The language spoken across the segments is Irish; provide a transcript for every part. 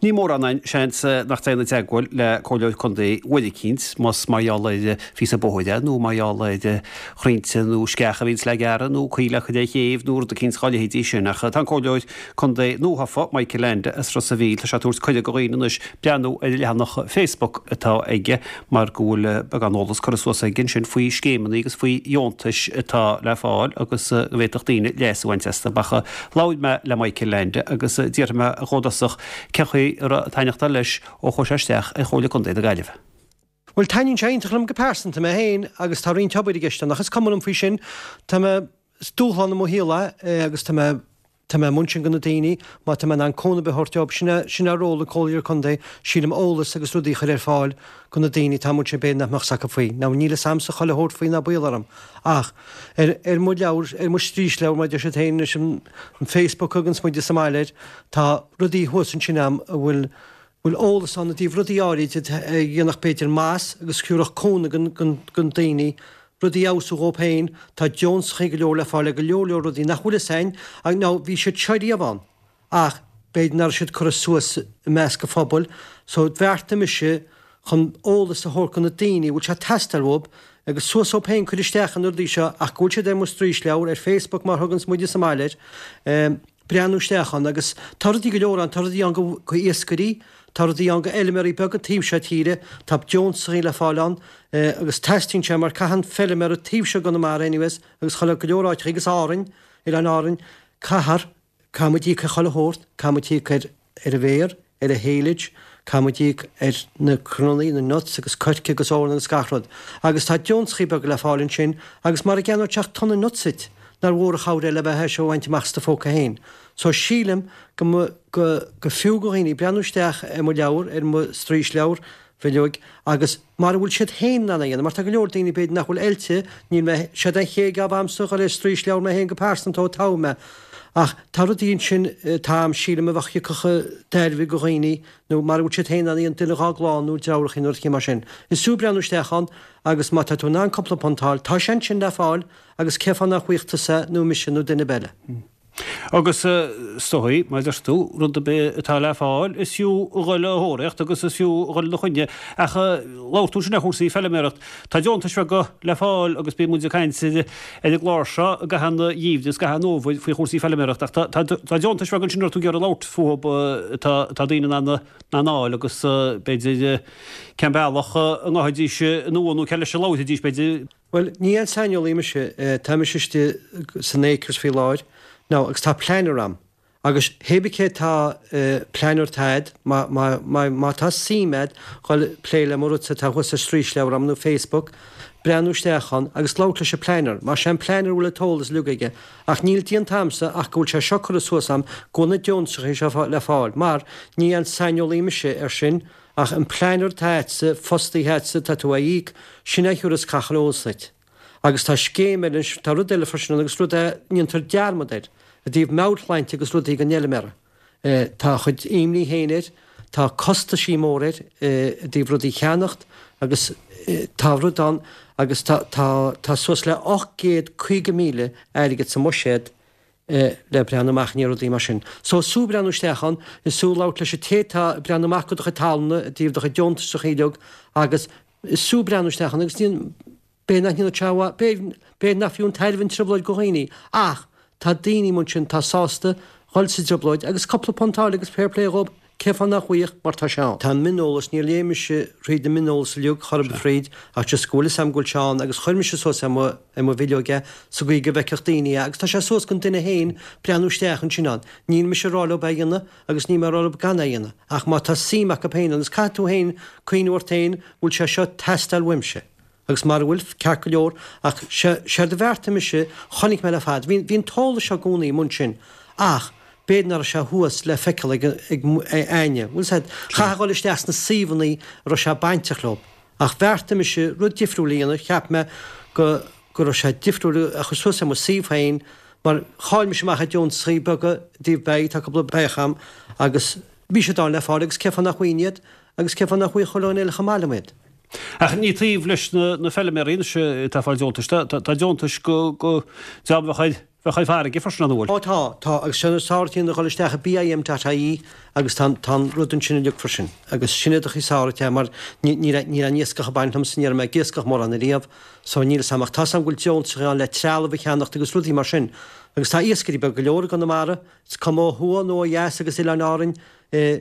Ní mórán againn, seans, nach dtéann i dteagmháil le Comhairleoir Contae uair eicínt, más mar gheall ar phíosa bóthair é, nó mar gheall ar chrainnte nó sceach a bhíonns le gearradh, nó coill le cur ar chéibh, nó rud eicínt dhá leithéidí sin. Ach tá an Comhairleoir Contae nuathofa, Michael Leainde as Ros a' Mhíl, tá sé ag tabhairt cuireadh do dhaoine anois breathnú ar an leathanach Facebook atá aige mar go bhfuil beagán eolas curtha suas aige ansin faoi scéimeanna agus faoi dheontais atá le fáil agus go bhféadfadh daoine leas a bhaint astu. Ach labhair mé le Michael Leainde agus d'fhiafraigh mé dhó i dtosach cén chaoi a raibh ag taitneachtáil leis ó chuaigh sé isteach ar Chomhairle Contae na Gaillimhe. Bhuel, taitníonn sé iontach liom go pearsanta, mé féin, agus tá roinnt obair i gceist ann, ach is cuma liom faoi sin. Tá mé, is dúshlán i mo shaol é agus tá mé, tá mé amuigh ansin go na daoine, má tá mé in ann cúnamh ar bith a thabhairt dóibh, sin é, sin é ról an Comhairleoir Contae, sílim, eolas agus rudaí a chur ar fáil go na daoine atá amuigh ansin b'fhéidir nach mbeadh 's acu faoi. Now níl 'fhios a'msa chuile shórt faoi ná baol orm, ach ar, ar mo leabhar, ar mo straoisleabhar mar a deir siad féin anois, an, an Facebook a thuganns muide sa mbaile air, tá rudaí thuas ansin a'm a bhfuil, bhfuil eolas ann i dtaobh rudaí áirid a dhéanfadh b'fhéidir maitheas agus thiúrfadh cúnamh gon, gon daoine, rudaí a fheabhsú dhóibh féin, tá deontachaí go leor le fáil ar go leor leor rudaí nach bhfuil 'fhios a'inn, ach now bhí siad seo riamh ann ach b'fhéidir nach raibh siad curtha suas i measc an phobail so bheartaigh mise chun eolas a thabhairt go na daoine a bhfuil sé ag teastáil uathub agus suas dhóibh féin cur isteach ar na rudaí seo ach go bhfuil siad ar mo straoisleabhar ar Facebook mar thuganns muide sa mbaile air. Breathnú isteach ann agus tá rudaí go leor ann, tá rudaí ann go iascairí, tá rudaí ann go fheilméaraí beaga taobh seo tíre, tá deontachaí le fáil ann agus teastaíonn sé mar caitheann feilméara taobh seo gConamara anyways agus chuile go leor áiteachaí agus Árainn, Oileáin Árainn, caithfear, caithfidh muid íoc ar chuile shórt, caithfidh muid íoc ar ar an bhféar, ar an haylage, caithfidh muid íoc ar na cnónnaí, na nuts agus coirce agus eorna agus gach rud. Agus tá deontachaí beaga le fáil ansin agus mara gceannóidh tú ach tonna nuts duit, nár mhór an chabhair é le bheith é seo a bhaint amach as do phóca féin. So sílim go mba, go, go fiú go dhaoine breathnú isteach ar mo leabhar, ar mo straoisleabhar, bhileoig, agus mara bhfuil siad féin in ann é a dhéanamh, mar tá go leor daoine b'fhéidir nach bhfuil oilte, níl mé, séard é an chéad jab a'msa dhul ar straoisleabhar mé féin go pearsanta ó toghadh mé, ach tá rudaí ansin atá a'm sílim a bheadh thiocfadh tairbhe go dhaoine nó mara bhfuil siad féin in ann a dhéanamh duine dhá gclann nó deartháireacha nó rud mar sin. Is fiú breathnú isteach ann agus má tá tú in ann cúpla punt a fháil, tá sé ansin le fáil agus cén fáth nach bhfaigheadh tusa nó mise nó duine ar bith eile. Agus is dóigh, mar a deir tú, rud ar bith atá le fáil, is fiú a dhul á thóraíocht agus is fiú a dhul ina choinne. Ach labhair tú ansin ar chúrsaí feilméaracht. Tá deontais bheaga le fáil agus bíonn muid ag caint ar an gclár seo i gcaitheamh an gheimhridh agus i gcaitheamh an fhómhair faoi chúrsaí feilméaracht. Ach tá deontais bheaga ansin a raibh tú ag iarraidh labhairt fúthu atá daoine in ann a fháil agus b'fhéidir cén bealach a ngabhfaidís anonn nó cé leis a labharfaidís b'fhéidir. Bhuel, ní aon saineolaí mise, tá mise istigh san Acres faoi láthair, now, agus tá planner a'm, agus hé bith cé tá planner atá a'd, má, má, má, má tá suim a'd dhul plé le mo rudsa atá thuas ar straoisleabhar a'm nó Facebook, breathnú isteach ann agus labhairt leis an planner, mar sé an planner a bhfuil an t-eolas uilig aige, ach níl déanta a'msa ach go bhfuil sé seo curtha suas a'm go bhfuil na deontachaí seo le fáil, mar ní aon saineolaí mise ar sin, Ach an planner atá a'dsa, fostaithe a'dsa, tá tú á íoc, sin é a thiúrfas gach eolas duit. Agus tá scéim eile anois, tá rud eile freisin ann agus rud a ndéantar dearmad air, i dtaobh meabhairshláinte agus rudaí don fheilméara. Tá a chuid imní féin air, tá costaisí mór air i dtaobh rudaí a cheannacht agus tá rud ann agus tá, tá, tá suas le 850,000 airgead sa mbuiséad le breathnú amach i ndiaidh rudaí mar sin. So is fiú breathnú isteach ann, is fiú labhairt leis an té atá ag breathnú amach go do chuid talmhna i dtaobh do chuid deontasachaí uilig agus is fiú breathnú isteach ann agus ní, b'fhéidir nach ndéanfadh sé a mhaith, b'fhéidir nach fiú an tairbhe an trioblóid go dhaoine ach tá daoine amuigh ansin atá sásta dhul sa dtrioblóid agus cúpla punt a fháil agus fair play dhób. Cén fáth nach bhfaigheadh, mar tá sé ann. Tá an mioneolas, níor léigh mise thríd an mioneolas uilig, chor ar bith thríd, ach just go bhfuil fhios a'm go bhfuil sé ann agus chuir mise suas ar mo, ar mo bhileog é sa gcaoi go bhfeicfeadh daoine é agus tá sé suas don duine féin breathnú isteach ansin ann. Níl mise ag rá leob é a dhéanamh agus níl mé ag rá leob gan é a dhéanamh ach má tá suim acu féin ann agus caithfidh tú féin cuimhniú ort féin bhfuil sé seo ag teastáil uaimse. Agus mara bhfuil, ceart go leor, ach séard a bheartaigh mise, chonaic mé le fada, bhí, bhí an t-eolas seo i gcónaí amuigh ansin, ach b'fhéidir nach raibh sé thuas le feiceáil ag, ag éinne, bhfuil 's a'd, chaithfeá dhul isteach sna suíomhannaí a raibh sé bainteach leo. Ach bheartaigh mise rud difriúil a dhéanamh, cheap mé go, go raibh sé difriúil a chur suas ar mo suíomh féin, mar chaill mise amach ar deontasachaí beaga i dtaobh beithígh, tá cúpla beithíoch a'm, agus bhí siad ann le fáil agus cén fáth nach bhfaighinn iad, agus cén fáth nach bhfaigheadh chuile dhuine eile chomh maith liom iad. Ach ní taobh leis na feilméaraí anois atá ag fáil deontais. Tá deontais go, go, dream a bheadh ar. bheadh ar farraige freisin, an bhfuil? Ó tá, tá, agus sin is áirithe a dhul isteach i BIM dot ie agus tá tá an rud ansin uilig freisin agus sin é do chaoi sáraithe é mar ní níl níl aon iascach ag baint liomsa, ní raibh mé ag iascach mórán ariamh so níl 'fhios a'm ach tá 'fhios a'm go bhfuil deontaisí ann le trealamh a cheannacht agus rudaí mar sin agus tá iascairí beaga go leor i gConamara, is cuma ó thuaidh nó ó dheas agus Oileáin Árainn eh.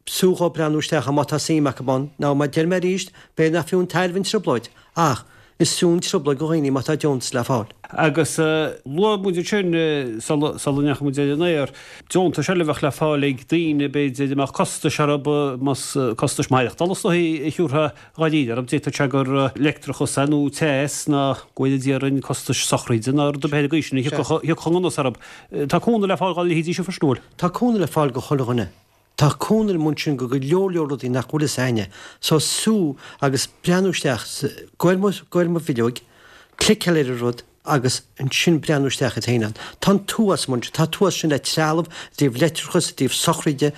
B'fhiú dhóibh breathnú isteach ann má tá suim acu ann. Now, mar deir mé arís, b'fhéidir nach fiú an tairbhe an trioblóid, ach is fiú an trioblóid do dhaoine má tá deontas le fáil. Agus luaigh muid ansin, sula ndeachaigh muid ar an aer, deontais eile a bheadh le fáil ag daoine, b'fhéidir, a mbeadh costais orthu, más costais maireachtála is dóichí a thiúrfá dháiríre orthu, d'fhéadfadh sé gur leictreachas é nó teas nó go bhfóire Dia orainn costais sochraide nó rud ar bith ar an gcaoi sin a thiocfadh anuas orthu. Tá cúnamh le fáil dá leithéidí sin freisin, an bhfuil? Tá cúnamh le fáil do chuile dhuine. Tá cúnamh amuigh ansin go go leor leor rudaí nach bhfuil fhios a'inne. So sú agus breathnú isteach, go ar mo, go ar mo bhileoig, cliceáil ar an rud agus ansin breathnú isteach ort féin ann. Tá an t-uafás amuigh ansin, tá an t-uafás sin le trealamh, i dtaobh leictreachas, i dtaobh sochraide,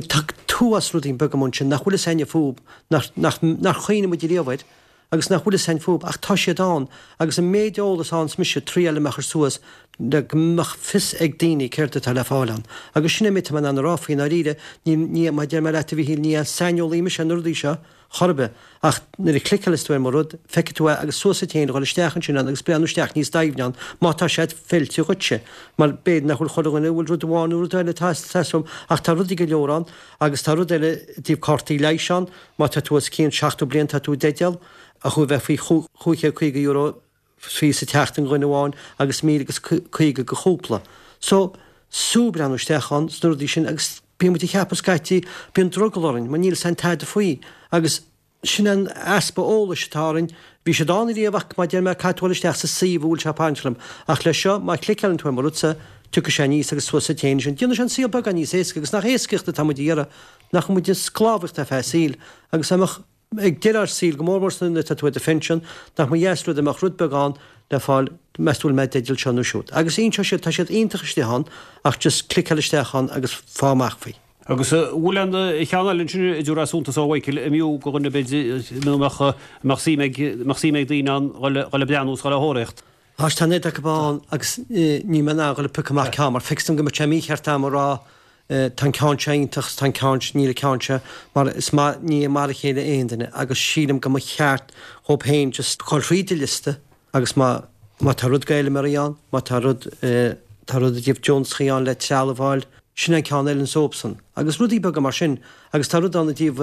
tá t-uafás rudaí beaga amuigh ansin nach bhfuil fhios a'inne fúb, nach, nach, nár chuimhnigh muid ariamh air. agus nach bhfuil fhios a'inn fúb, ach tá siad ann, agus an méid eolas a fhaigheanns mise triail mé a chur suas le go mbeadh fios ag daoine céard atá le fáil ann. Agus sin é an méid atá mé in ann a rá faoi i ndáiríre, ní, ní, mar a deir mé leat a Mhíchíl, ní aon saineolaí mise ar na rudaí seo, chor ar bith, ach nuair a chliceálas tú ar mo rud, feicfidh tú é agus suas duit féin a dhul isteach ansin ann agus breathnú isteach níos doimhne ann, má tá sé feilte dhuitse, mar b'fhéidir nach bhfuil chuile dhuine a bhfuil rud amháin nó rud eile atá ag teastáil uaim, ach tá rudaí go leor ann, agus tá rud eile i dtaobh cártaí leighis ann, Má tá tú os cionn 70 bliain tá tú i dteideal a chu bheith faoi €550 faoi sa tseachtain do dhuine amháin agus 1,050 do chúpla. So, sú breathnú isteach ann sna rudaí sin agus bíonn muid ag ceapadh scaití, bíonn drogall orainn mar níl 'fhios a'inn tada faoi agus sin an easpa eolais atá orainn. Bhí siad ann ariamh ach mar deir mé caithfidh tú dul isteach sa suíomh a bhfuil sé ag baint liom ach leis seo má chliceálann tú ar mo rudsa tiocfaidh sé aníos agus suas duit féin ansin. Déanfaidh sé an saol beagán níos éasca agus nach éascaíocht atá muid a iarraidh Nach bhfuil muid i sclábhaíocht ar feadh an tsaoil, agus dá mbeadh ag deireadh ár saoil, go mór mór nuair atá tú ar do phension, nach mba dheas rud dá mbeadh rud beag ann le fáil, meas tú bhfuil mé i dteideal seo nó siúd. Agus inseoidh siad, tá siad iontach istigh ann, ach just cliceáil isteach ann agus fáigh amach faoi. Agus an bhfuil aon cheann eile ansin a dtiúrfá suntas a Mhichael, a mb'fhiú do dhuine b'fhéidir, nó a mbeadh, a mbeadh suim ag, a mbeadh suim ag daoine ann dhul, dhul ag breathnú is dhul á thóraíocht? Tá tá an oiread acu ann agus níl mé in ann dhul ag piocadh amach ceann mar feictear dom go mbeadh sé mícheart a'm a rá tá an ceann seo iontach is tá an ceann seo, níl an ceann seo mar is maith, ní mar a chéile aon duine agus sílim go mba cheart dhób féin just dhul thríd an liosta agus má má tá rud d'fheilméaraí ann, má tá rud tá rud i dtaobh deontachaí ann le trealamh a fháil, sin an ceann eile an sóp san agus rudaí beaga mar sin agus tá rud ann i dtaobh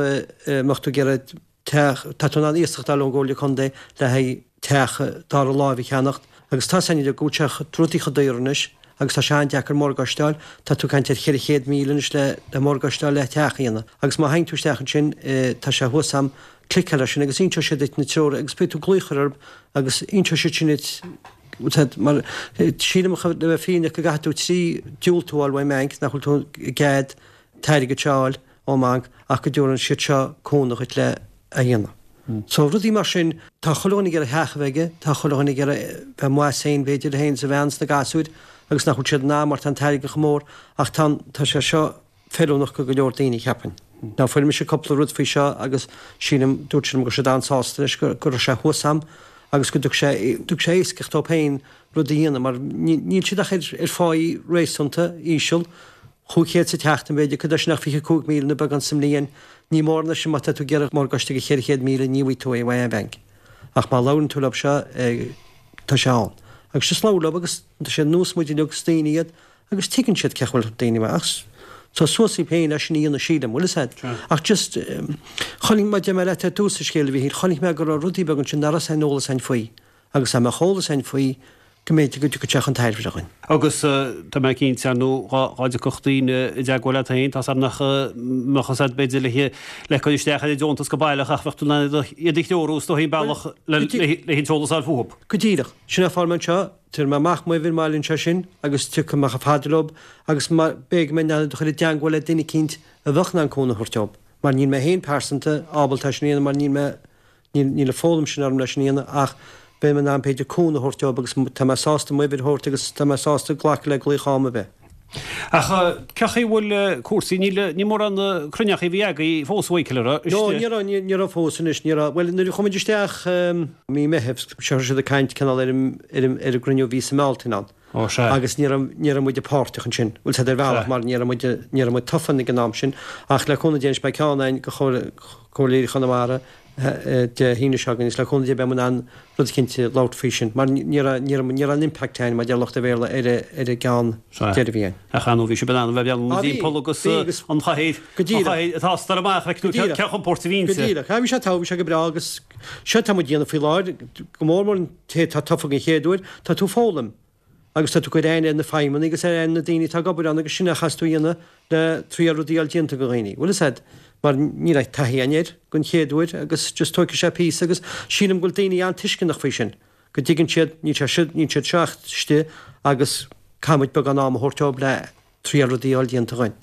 mbeadh tú ag iarraidh teach, tá tú in ann iasacht a fháil ón gComhairle Contae le haghaidh teach dara láimhe a cheannacht agus tá san go bhfuil sé rudaí chomh daor anois agus tá sé an-deacair morgáiste a fháil, tá tú ag caint ar 400,000 anois le le morgáiste a fháil le teach a dhéanamh agus má théann tú isteach ansin tá sé thuas a'm, cliceáil air sin agus inseoidh siad duit na treoir agus beidh tú glaoch orthu agus inseoidh siad sin duit mar sílim le bheith fírinneach go gcaithfidh tú trí diúltú a fháil ón mbanc nach bhfuil tú i gcead an t-airgead seo a fháil. ón mbanc ach go dtabharann siad seo cúnamh dhuit le a dhéanamh. So rudaí mar sin, tá chuile dhuine ag iarraidh theach a bheith aige, tá chuile dhuine ag iarraidh bheith amuigh as féin b'fhéidir, féin is a bhean is na gasúir agus nach bhfuil siad in ann mar tá an t-airgead chomh mór ach tá an, tá sé seo feiliúnach go go leor daoine cheapfainn. Now fuair mise cúpla rud faoi seo agus sílim, dúirt siad liom go raibh siad an-sásta leis go go raibh sé thuas a'm agus go dtug sé, dtug sé éascaíocht dóibh féin rud a dhéanamh mar níl siad ach ar ar pháí réasúnta íseal, 500 sa tseachtain b'fhéidir, cad é sin ach 25,000 nó beagán sa mbliain. Ní mórán é sin má tá tú ag iarraidh morgáiste de 400,000 ní bhfaighidh tú é ó aon bhanc. Ach má labhrann tú leo seo tá sé ann. Agus just labhair leo agus tá sé ar nós muid uilig is daoine iad agus tuigeann siad cén chaoi a bhfuil daoine mar ach tá suas daoibh féin leis sin a dhéanamh sílim, bhfuil fhios a'd. Ach just chonaic mé, deir mé leat ar dtús an scéil a Mhíchíl, chonaic mé go raibh rudaí beaga ansin nach raibh aon eolas a'inn faoi. Agus dá mbeadh eolas a'inn faoi, go mb'fhéidir go dtiocfadh sé chun tairbhe dhúinn. Agus tá mé cinnte, ar ndóigh, dhá dtiocfadh daoine i dteagmháil leat féin, tá's a'm nach mbeadh fhios a'd b'fhéidir le le cur isteach ar an deontas go baileach ach bheadh tú in ann iad a threorú is dóigh an bealach le an t-eolas a fháil fúthu. Go díreach. Sin é fágfaidh mé anseo, tabharfaidh mé amach m'uimhir maille anseo sin agus tiocfaidh mé chomh fada leo agus b'fhéidir go mbeidh mé in ann iad a chur i dteagmháil le duine eicínt a bheadh in ann cúnamh a thabhairt dóibh. Mar níl mé féin pearsanta ábalta é sin a dhéanamh mar níl mé Níl an foghlaim sin orm leis sin a dhéanamh ach beidh mé in ann b'fhéidir cúnamh a thabhairt dóibh agus tá mé sásta m'uimhir a thabhairt agus tá mé sásta glacadh le glaoch am ar bith. Ach cén chaoi a bhfuil cúrsaí, níl, ní mórán cruinneachaí a bhí agaibh fós, a Mhichíl, an raibh? No, ní raibh, ní raibh fós anois, ní raibh. Bhuel, nuair a chuaigh muid isteach mí Meithimh, seo siad ag caint cineál ar an, ar an, ar an gcruinniú a bhí sa mBealtaine ann. Ó, sea. Agus ní raibh, ní raibh muide páirteach ansin, bhfuil 's a'd ar bhealach mar ní raibh muide, ní raibh muid tofa ag an am sin ach le cúnamh Dé anois beidh ceann againn go Chomhairleoirí Chonamara Dé hAoine seo chugainn agus le cúnamh Dé beidh muid in ann rud eicínt a labhairt faoi sin mar ní raibh, ní raibh, ní raibh an impact againn mar deir lucht an Bhéarla ar a, ar an gceann deiridh a bhí againn. Ach ar ndóigh bhí sibh in ann a bheith ag breathnú timpeall agus an chathaoir, an chathaoir atá ag amach, feiceann tú cé chomh compordach a bhíonn sí. Go díreach. Bhí sé togha, bhí sé go breá agus seo atá muid a dhéanamh faoi láthair, go mór mór an té atá tofa den chéad uair, tá tú ag foghlaim agus tá tú ag cur aithne ar na feidhmeannaigh agus ar aithne na daoine atá ag obair ann agus sin a chaithfeas tú a dhéanamh le triail rudaí a fháil déanta go dhaoine. Bhfuil fhios a'd, mar níl aon taithí againn air den chéad uair agus just tógfaidh sé píosa agus sílim go bhfuil daoine an-tuisceanach faoi sin, go dtuigeann siad, níl sé seo, níl siad seo ach istigh agus caithfidh muid beagán ama a thabhairt dóibh le triail rudaí a fháil déanta againn.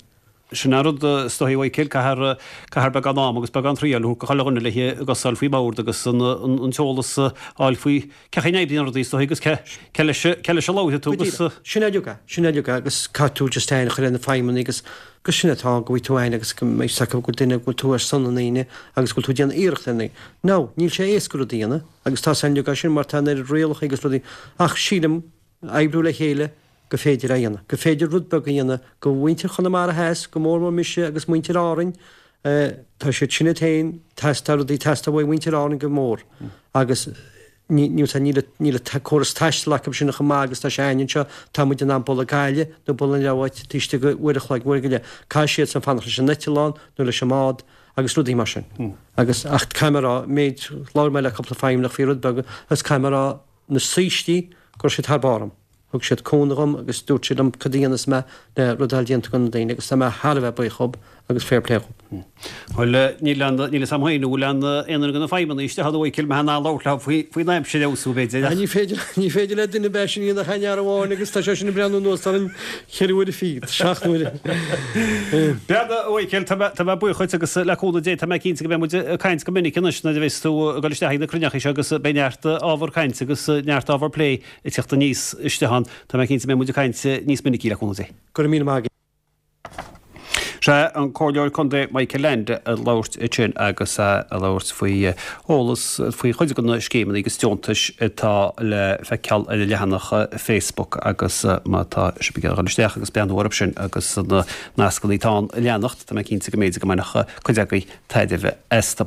Sin an rud is dóichí a Mhichael, caithfear, caithfear beagán ama agus beagán triail a thabhairt go chuile dhuine le a gcosa a fháil faoin mbord agus an, an t-eolas a fháil faoi cé chaoi a n-oibríonn rudaí is dóichí agus cé, cé leis, cé leis a labhróidh tú agus. Go díreach. Sin é uilig é, sin é uilig é agus caithfidh tú just aithne a chur ar na feidhmeannaigh agus, agus sin atá ann, go bhfaighidh tú aithne agus go mbeidh fhios acu go bhfuil duine, go bhfuil tú ar son na ndaoine agus go bhfuil tú ag déanamh iarracht ar na, now, níl sé éasca rud a dhéanamh agus tá 's againn uilig é sin mar tá an oiread rialacha agus rudaí ach sílim, oibriú le chéile go féidir é a dhéanamh, go féidir rud beag a dhéanamh go mhuintir Chonamara Theas, go mór mór mise agus muintir Árainn, tá siad sin iad féin, tá rudaí ag teastáil uaidh mhuintir Árainn go mór agus ní, níl, níl, níl an córas taistil acu sin chomh maith agus tá sé againn anseo, tá muid in ann dul ag Gaillimh nó dul an leabháit taobh istigh de uair a chloig, uair go leith, caithfidh siad san fanacht leis an eitleán nó leis an mbád agus rudaí mar sin. Agus, ach caithfidh mé a rá, méid, labhair mé le cúpla feidhmeannach faoi rud beag agus caithfidh mé a rá, na saoistí go raibh siad thar barr dom. Thug siad cúnamh dhom agus dúirt siad liom cad a dhéanfas mé le rud a fháil déanta do na daoine agus tá mé thar a bheith buíoch dhób agus fair play dhób. Bhuel, níl aon, níl fhios a'm féin an bhfuil aon, aon duine de na feidhmeannaigh istigh ann a Mhichael, mbeadh in ann labhairt leo faoi, faoin aimsir a fheabhsú b'fhéidir ach. Ní féidir, ní féidir le duine bheith sin ina cheann amháin agus tá sé sin ag breathnú anuas orainn cheithre huaire fichead, seacht n-uaire. Bhuel, a Mhichael, tá mé, tá mé buíoch dhuit agus le cúnamh Dé tá mé cinnte go mbeidh muid ag caint go minic anois nuair a bheas tú ag dul isteach ag na cruinneachaí seo agus beidh neart ábhar cainte agus neart ábhar plé ag teacht aníos istigh ann. Tá mé cinnte go mbeidh muid ag caint níos minicí le cúnamh Dé. Go raibh míle maith agat. Sea, an Comhairleoir Contae Michael Leainde ag labhairt ansin agus é ag labhairt faoi eolas faoi chuid de na scéimeanna agus deontais atá le feiceáil ar a leathanach Facebook agus má tá sibh ag dul isteach agus breathnú orthu sin agus na nascanna atá ann a leanacht, tá mé cinnte go mb'fhéidir go mbainfeadh cuid agaibh tairbhe astu.